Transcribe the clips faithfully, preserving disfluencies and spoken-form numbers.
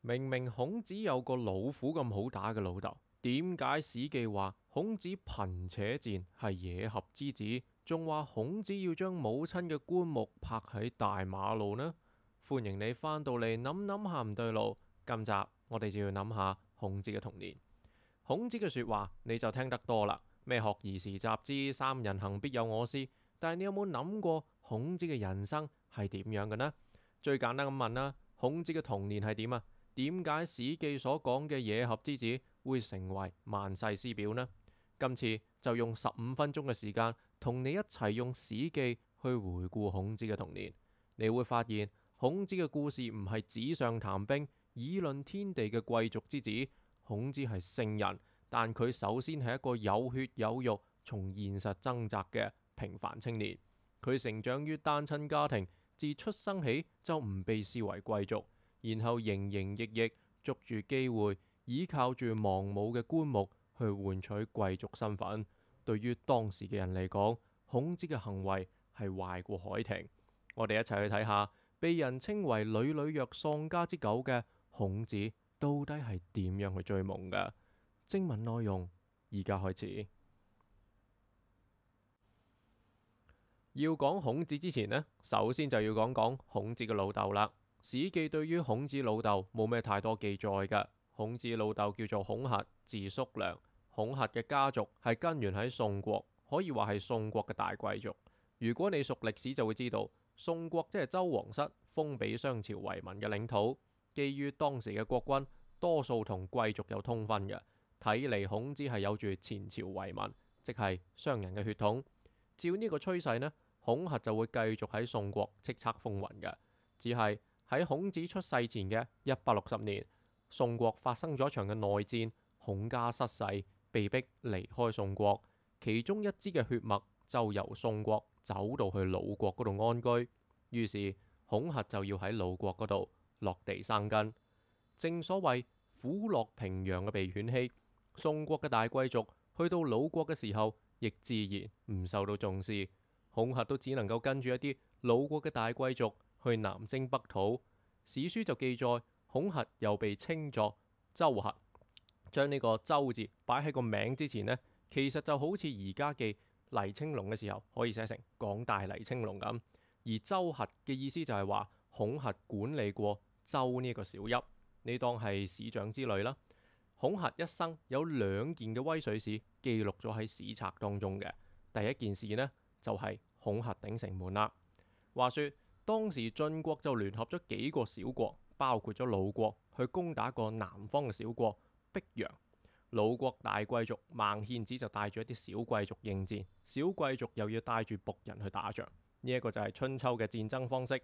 明明孔子有個老虎咁好打嘅老豆，點解史記話孔子貧且賤係野合之子，仲話孔子要將母親嘅棺木泊喺大馬路呢？歡迎你返到嚟諗諗下唔對路，今集我哋就要諗下孔子嘅童年。孔子嘅說話你就聽得多啦，咩學而時習之，三人行必有我師。但係你有冇諗過孔子嘅人生係點樣嘅呢？最簡單咁問啦，孔子嘅童年係點啊？點解史記所講嘅野合之子會成為萬世師表呢？今次就用十五分鐘嘅時間，同你一齊用史記去回顧孔子嘅童年。你會發現孔子嘅故事唔係紙上談兵、議論天地嘅貴族之子。孔子係聖人，但佢首先係一個有血有肉、從現實掙扎嘅平凡青年。佢成長於單親家庭，自出生起就唔被視為貴族。然後營營役役，捉住機會，依靠住亡母嘅棺木去換取貴族身份。對於當時嘅人嚟講，孔子嘅行為係壞過海亭。我哋一齊去睇下，被人稱為屢屢虐喪家之狗嘅孔子，到底係點樣去追夢嘅？正文內容，而家開始。要講孔子之前呢，首先就要講講孔子嘅老豆啦。史記對於孔子老豆冇咩太多記載嘅。孔子老豆叫做孔軼，字叔良。孔軼嘅家族係根源喺宋國，可以話係宋國嘅大貴族。如果你熟歷史就會知道，宋國即係周王室封俾商朝為民嘅領土。基於當時嘅國君多數同貴族有通婚嘅，睇嚟孔子係有住前朝遺民，即係商人嘅血統。照呢個趨勢呢，孔軼就會繼續喺宋國叱咤風雲嘅。只係喺孔子出世前嘅一百六十年，宋國發生咗一場嘅內戰，孔家失勢，被逼離開宋國。其中一支嘅血脈就由宋國走到去魯國嗰度安居，於是孔軼就要喺魯國嗰度落地生根。正所謂虎落平陽嘅被犬欺，宋國嘅大貴族去到魯國嘅時候，亦自然唔受到重視。孔軼都只能夠跟住一啲魯國嘅大貴族去南征北討。史書就記載，孔軼又被稱作周軼，將呢個周字擺喺個名之前呢，其實就好似而家記黎青龍嘅時候可以寫成港大黎青龍咁。而周軼嘅意思就係話孔軼管理過周呢一個小邑，你當係市長之類啦。孔軼一生有兩件嘅威水史記錄咗喺史冊當中嘅。第一件事呢，就係、是、孔軼頂城門啦。話說當時晉國就聯合咗幾個小國，包括咗魯國，去攻打個南方嘅小國碧陽。魯國大貴族孟獻子就帶住一啲小貴族應戰，小貴族又要帶住僕人去打仗。呢、這、一個就係春秋嘅戰爭方式。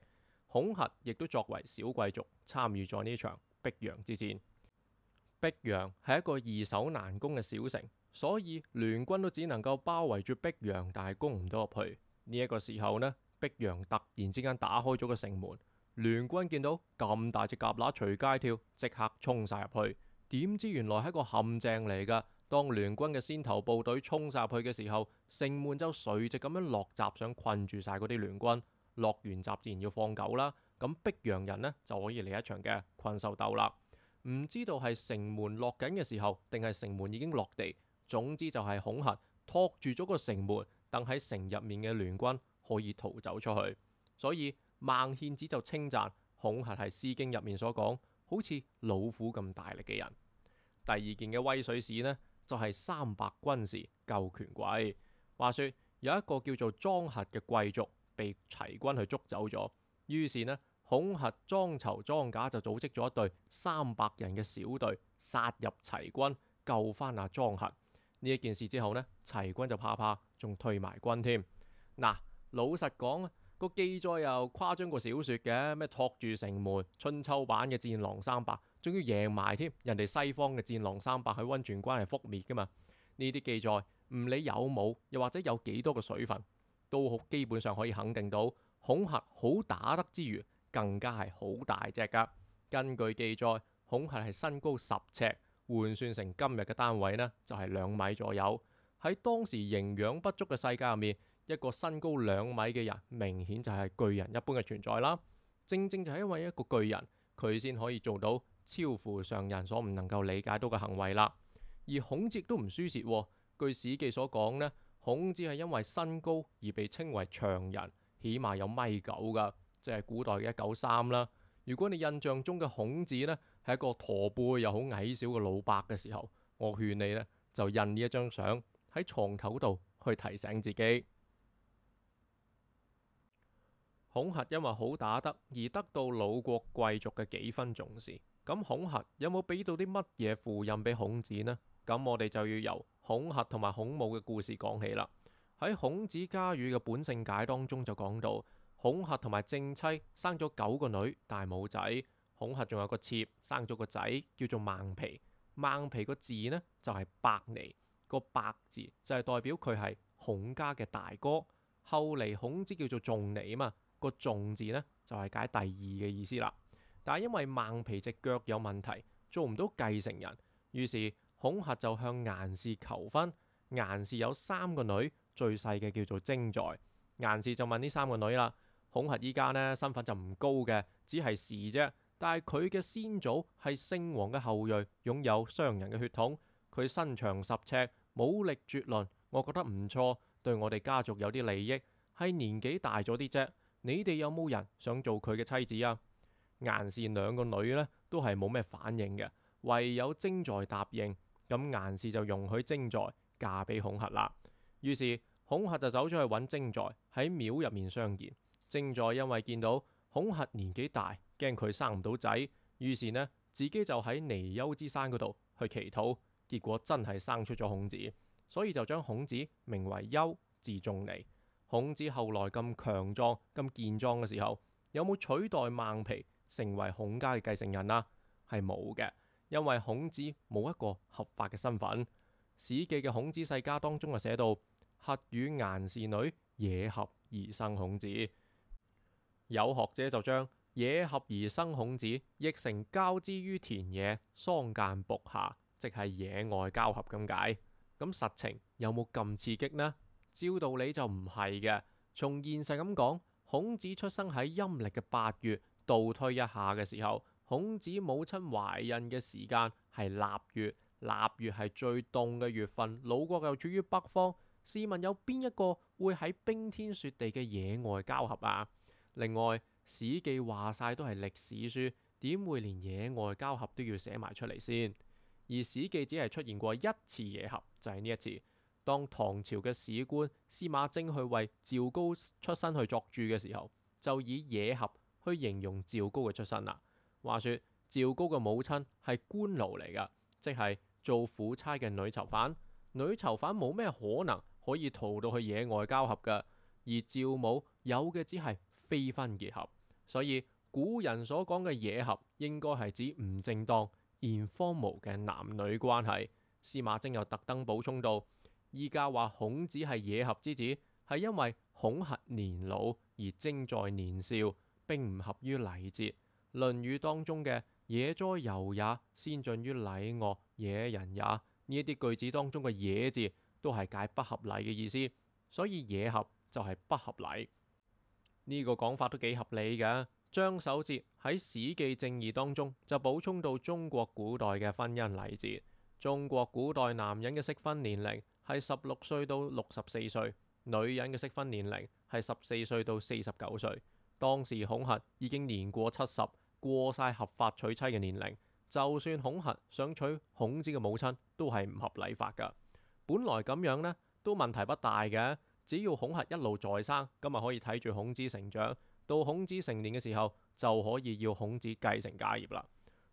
孔軼亦都作為小貴族參與咗呢場碧陽之戰。碧陽係一個易守難攻嘅小城，所以聯軍都只能夠包圍住碧陽，但係攻唔到入去。呢、這、一個時候呢，碧陽突然之間打開咗個城門，聯軍見到咁大隻蛤乸隨街跳，即刻衝晒入去。點知原來係一個陷阱嚟噶。當聯軍嘅先頭部隊衝晒入去嘅時候，城門就垂直咁樣落閘，想困住晒嗰啲聯軍。落完閘自然要放狗啦，咁碧陽人呢，就可以嚟一場嘅困獸鬥啦。唔知道係城門落緊嘅時候，定係城門已經落地。總之就係孔軼托住咗個城門，等喺城入面嘅聯軍可以逃走出去。所以孟獻子就稱讚孔軼係《詩經》入面所講好似老虎咁大力嘅人。第二件嘅威水史呢，就係、是、三百軍時救權貴。話說有一個叫做莊核嘅貴族被齊軍去捉走咗，於是呢，孔軼、莊籌、莊賈就組織咗一隊三百人嘅小隊，殺入齊軍，救翻阿莊核。呢一件事之後呢，齊軍就怕怕，仲退埋軍添。嗱，老實講啊，個記載又誇張過小說嘅，咩托住城門，春秋版嘅戰狼三百，仲要贏埋添。人哋西方嘅戰狼三百喺溫泉關係覆滅噶嘛。呢啲記載唔理有冇，又或者有幾多個水分，都好基本上可以肯定到孔軼好打得之餘，更加係好大隻噶。根據記載，孔軼係身高十尺，換算成今日嘅單位呢，就係兩米左右。喺當時營養不足嘅世界入面，一個身高兩米嘅人，明顯就係巨人一般嘅存在啦。正正就係因為一個巨人，佢先可以做到超乎常人所唔能夠理解到嘅行為啦。而孔子亦都唔輸蝕喎。據史記所講呢，孔子係因為身高而被稱為長人，起碼有米九噶，即係古代嘅一九三啦。如果你印象中嘅孔子呢係一個駝背又好矮小嘅老伯嘅時候，我勸你呢就印呢一張相喺床頭度去提醒自己。孔軼因為好打得而得到魯國貴族嘅幾分重視，咁孔軼有冇俾到啲乜嘢符印俾孔子呢？咁我哋就要由孔軼同埋孔武嘅故事講起啦。喺孔子家語嘅本性解當中就講到，孔軼同埋正妻生咗九個女，但係冇仔。孔軼仲有個妾，生咗個仔叫做孟皮。孟皮個字呢就係伯尼，個伯字就係代表佢係孔家嘅大哥。後嚟孔子叫做仲尼啊嘛。個仲字呢，就係解第二嘅意思啦。但係因為孟皮隻腳有問題，做唔到繼承人，於是孔軼就向顏氏求婚。顏氏有三個女，最細嘅叫做徵在。顏氏就問呢三個女啦：孔軼依家呢身份就唔高嘅，只係士啫。但係佢嘅先祖係聖王嘅後裔，擁有商人嘅血統。佢身長十尺，武力絕倫，我覺得唔錯，對我哋家族有啲利益。係年紀大咗啲啫。你哋有冇人想做佢嘅妻子啊？顏氏兩個女呢都係冇咩反應嘅，唯有徵在答應。咁顏氏就容許徵在嫁俾孔軼啦。於是孔軼就走咗去揾徵在，喺廟入面相見。徵在因為見到孔軼年紀大，驚佢生唔到仔，於是呢自己就喺尼丘之山嗰度去祈禱，結果真係生出咗孔子，所以就將孔子名為丘，字仲尼。孔子後來咁強壯、咁健壯嘅時候，有冇取代孟皮成為孔家嘅繼承人啊？係冇嘅，因為孔子冇一個合法嘅身份。史記嘅孔子世家當中就寫到：軼與顏氏女野合而生孔子。有學者就將野合而生孔子譯成交之於田野，桑間僕下，即係野外交合咁解。咁實情有冇咁刺激呢？照道理就唔係嘅。從現實咁講，孔子出生喺陰歷嘅八月，倒推一下嘅時候，孔子母親懷孕嘅時間係臘月，臘月係最凍嘅月份，魯國又處於北方，試問有邊一個會喺冰天雪地嘅野外交合啊？另外，史記話晒都係歷史書，點會連野外交合都要寫埋出嚟先？而史記只係出現過一次野合，就係呢一次。當唐朝嘅史官司馬徵去為趙高出身去作注嘅時候，就以野合去形容趙高嘅出身啦。話說趙高嘅母親係官奴嚟噶，即係做苦差嘅女囚犯。女囚犯冇咩可能可以逃到去野外交合噶，而趙母有嘅只係非婚結合，所以古人所講嘅野合應該係指唔正當、informal嘅男女關係。司馬徵又特登補充到：依家話孔子係野合之子，係因為孔軼年老而徵在年少，並唔合於禮節。論語當中嘅野哉由也，先進於禮樂，野人也，呢一啲句子當中嘅野字都係解不合禮嘅意思，所以野合就係不合禮。呢個講法都幾合理嘅。張守節喺《史記正義》當中就補充到中國古代嘅婚姻禮節。中國古代男人嘅適婚年齡係十六歲到六十四歲，女人嘅適婚年齡係十四歲到四十九歲。當時孔軼已經年過七十，過晒合法娶妻嘅年齡，就算孔軼想娶孔子嘅母親，都係唔合禮法噶。本來咁樣呢，都問題不大嘅，只要孔軼一路在生，咁咪可以睇住孔子成長，到孔子成年嘅時候，就可以要孔子繼承家業啦。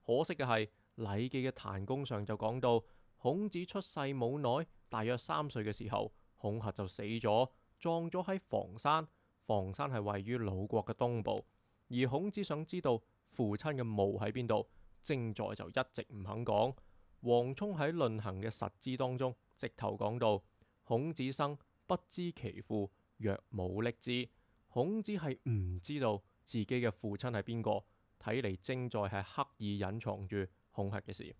可惜嘅係，《禮記》嘅檀公上就講到，孔子出世冇耐，大約三歲嘅時候，孔軼就死咗，葬咗喺房山。房山係位於魯國嘅東部，而孔子想知道父親嘅墓喺邊度，徵在就一直唔肯講。王充喺《論衡》嘅實知當中，直頭講到：孔子生，不知其父，若母匿之。孔子係唔知道自己嘅父親係邊個，睇嚟徵在係刻意隱藏住孔軼嘅事。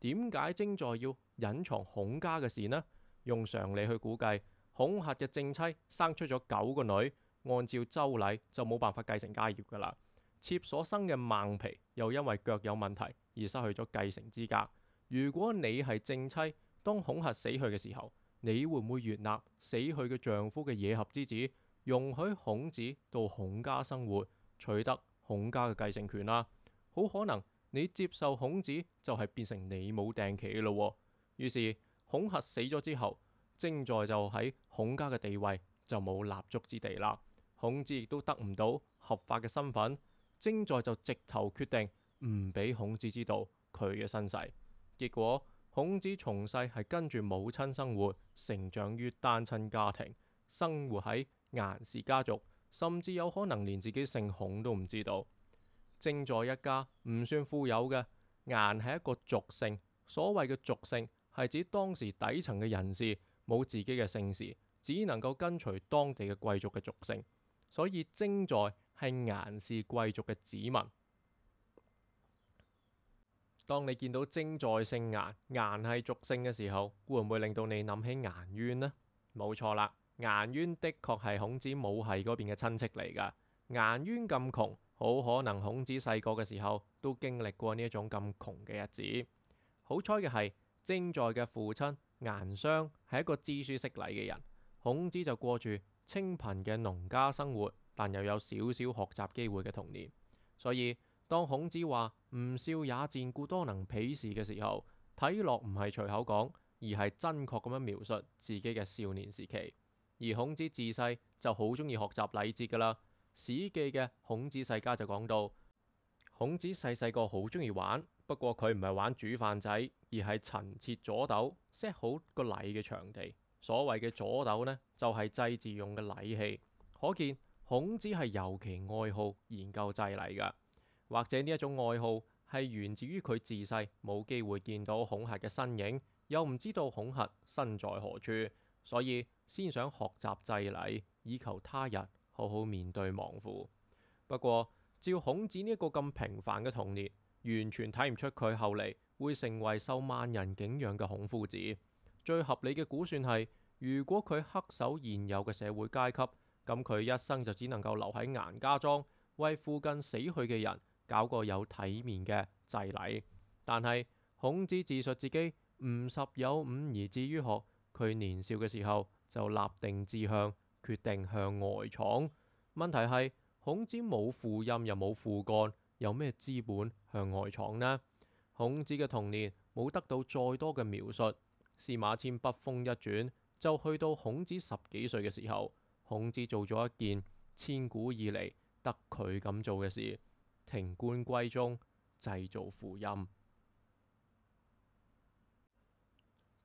點解徵在要隱藏孔家嘅事呢？用常理去估計，孔軼嘅正妻生出咗九個女，按照周禮就冇辦法繼承家業噶啦。妾所生嘅孟皮又因為腳有問題而失去咗繼承資格。如果你係正妻，當孔伉死去嘅時候，你會唔會悅納死去嘅丈夫嘅野合之子，容許孔子到孔家生活，取得孔家嘅繼承權啦？好可能你接受孔子就係變成你冇訂棋嘅咯。於是孔伉死咗之後，徵在就喺孔家嘅地位就冇立足之地啦。孔子亦都得唔到合法嘅身份，徵在就直頭決定唔俾孔子知道佢嘅身世。結果孔子從細係跟住母親生活，成長於單親家庭，生活喺顏氏家族，甚至有可能連自己姓孔都唔知道。徵在一家唔算富有嘅，顏係一個俗姓。所謂嘅俗姓係指當時底層嘅人士冇自己嘅姓氏，只能夠跟隨當地嘅貴族嘅俗姓，所以徵在係顏氏貴族嘅子民。當你見到徵在姓顏，顏係俗姓嘅時候，會唔會令到你諗起顏淵呢？冇錯啦，顏淵的確係孔子母系嗰邊嘅親戚嚟噶。顏淵咁窮，好可能孔子細個嘅時候都經歷過呢一種咁窮嘅日子。好彩嘅係，徵在嘅父親顏商係一個知書識禮嘅人，孔子就過住清貧嘅農家生活，但又有少少學習機會嘅童年。所以當孔子話吾少也賤，故多能鄙視嘅時候，睇落唔係隨口講，而係真確咁樣描述自己嘅少年時期。而孔子自細就好中意學習禮節噶啦。史記嘅孔子世家就講到，孔子細細個好中意玩，不過佢唔係玩煮飯仔，而係陳設左斗，set 好個禮嘅場地。所謂嘅左斗呢，就係祭祀用嘅禮器。可見孔子係尤其愛好研究祭禮噶。或者呢一種愛好係源自於佢自細冇機會見到孔伉嘅身影，又唔知道孔伉身在何處，所以先想學習祭禮，以求他日好好面對亡父。不過照孔子呢一個咁平凡嘅童年，完全睇唔出佢後嚟會成為受萬人敬仰嘅孔夫子。最合理嘅估算係，如果佢恪守現有嘅社會階級，咁佢一生就只能夠留喺顏家莊，為附近死去嘅人搞個有體面嘅祭禮。但係孔子自述自己吾十有五而志於學，佢年少嘅時候就立定志向，決定向外闖。問題係孔子冇父蔭又冇父幹，有咩資本向外闖呢？孔子嘅童年冇得到再多嘅描述。司馬遷筆鋒一轉，就去到孔子十幾歲嘅時候，孔子做咗一件千古以嚟得佢咁做嘅事。停冠歸宗，製造父蔭。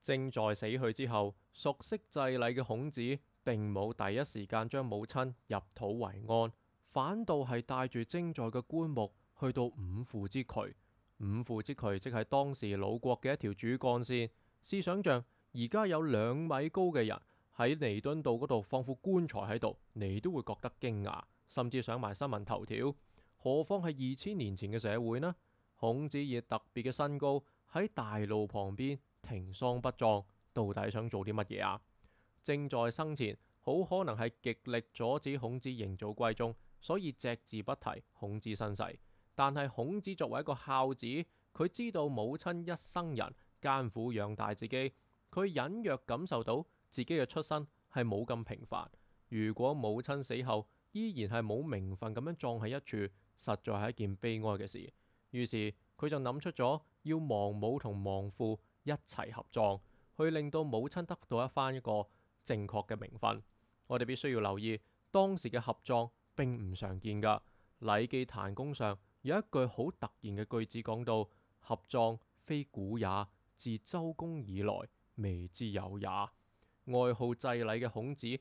徵在死去之後，熟悉祭禮嘅孔子並冇第一時間將母親入土為安，反倒係帶住徵在嘅棺木去到五父之渠。五父之渠即係當時魯國嘅一條主幹線。試想像而家有兩米高嘅人喺彌敦道嗰度放副棺材喺度，你都會覺得驚訝，甚至上埋新聞頭條。何況係二千年前嘅社會呢？孔子以特別嘅身高喺大路旁邊停喪不葬，到底想做啲乜嘢啊？徵在生前好可能係極力阻止孔子認祖歸宗，所以隻字不提孔子身世。但係孔子作為一個孝子，佢知道母親一生人艱苦養大自己，佢隱約感受到自己嘅出身係冇咁平凡。如果母親死後依然係冇名分咁樣葬喺一處，實在係一件悲哀嘅事。於是佢就諗出咗要亡母同亡父一齊合葬，去令到母親得到一番一個正確嘅名分。我哋必須要留意，當時嘅合葬並唔常見噶。禮記檀公上有一句好突然嘅句子講到：合葬非古也，自周公以來未之有也。愛好祭禮嘅孔子一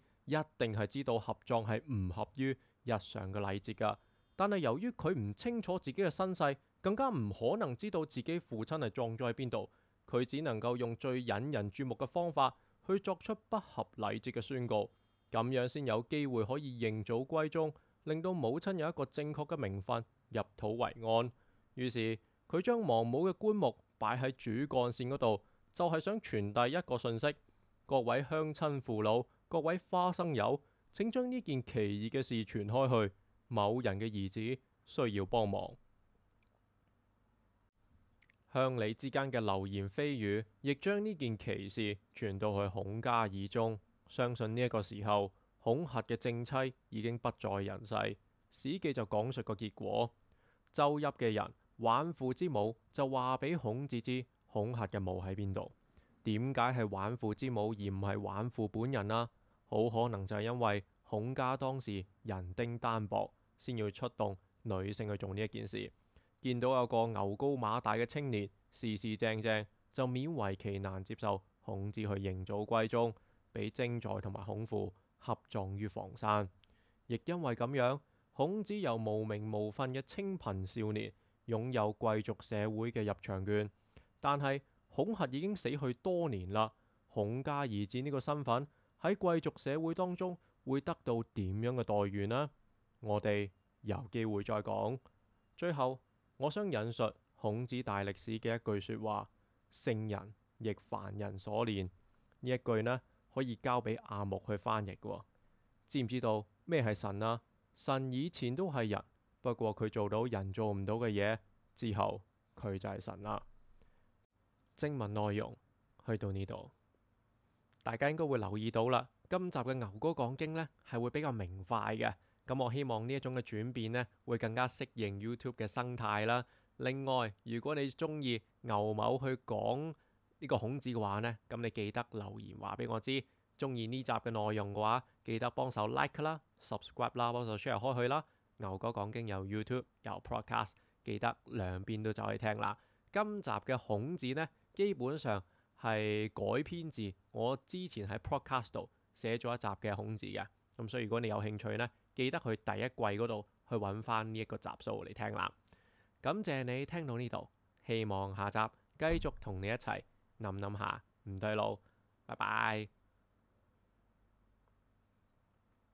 定係知道合葬係唔合於日常嘅禮節噶。但係由於佢唔清楚自己嘅身世，更加唔可能知道自己父親係葬咗喺邊度，佢只能夠用最引人注目嘅方法去作出不合禮節嘅宣告，咁樣先有機會可以認祖歸宗，令到母親有一個正確嘅名分，入土為安。於是佢將亡母嘅棺木擺喺主幹線嗰度，就係想傳遞一個訊息：各位鄉親父老，各位花生友，請將呢件奇異嘅事傳開去。某人嘅兒子需要幫忙。鄉里之間嘅流言蜚語，亦將呢件奇事傳到去孔家耳中。相信呢一個時候，孔核嘅正妻已經不在人世。史記就講述個結果：周邑嘅人玩父之母就話俾孔子知孔核嘅墓喺邊度。點解係玩父之母而唔係玩父本人啊？好可能就係因為孔家當時人丁單薄，先要出動女性去做呢一件事。見到有個牛高馬大嘅青年，事事正正，就勉為其難接受孔子去認祖歸宗，俾徵宰同埋孔父合葬於房山。亦因為咁樣，孔子由無名無份嘅清貧少年，擁有貴族社會嘅入場券。但係孔核已經死去多年啦，孔家兒子呢個身份喺貴族社會當中會得到點樣嘅待遇呢？我哋有機會再講。最後，我想引述孔子大歷史嘅一句說話：聖人亦凡人所練。呢一句呢，可以交俾阿木去翻譯嘅。知唔知道咩係神啊？神以前都係人，不過佢做到人做唔到嘅嘢，之後佢就係神啦。正文內容去到呢度，大家應該會留意到啦。今集嘅牛哥講經呢，係會比較明快嘅。咁我希望呢一種嘅轉變呢，會更加適應 YouTube 嘅生態啦。另外，如果你中意牛某去講呢個孔子嘅話呢，咁你記得留言話俾我知。中意呢集嘅內容嘅話，記得幫手 like 啦、subscribe 啦、幫手 share 開去啦。牛哥講經有 YouTube 有 Podcast， 記得兩邊都走去聽啦。今集嘅孔子呢，基本上係改編自我之前喺 Podcast 度寫咗一集嘅孔子嘅。咁所以如果你有興趣呢，記得去第一季嗰度去揾翻呢一個集數嚟聽啦。感謝你聽到呢度，希望下集繼續同你一齊諗諗下唔對路。拜拜。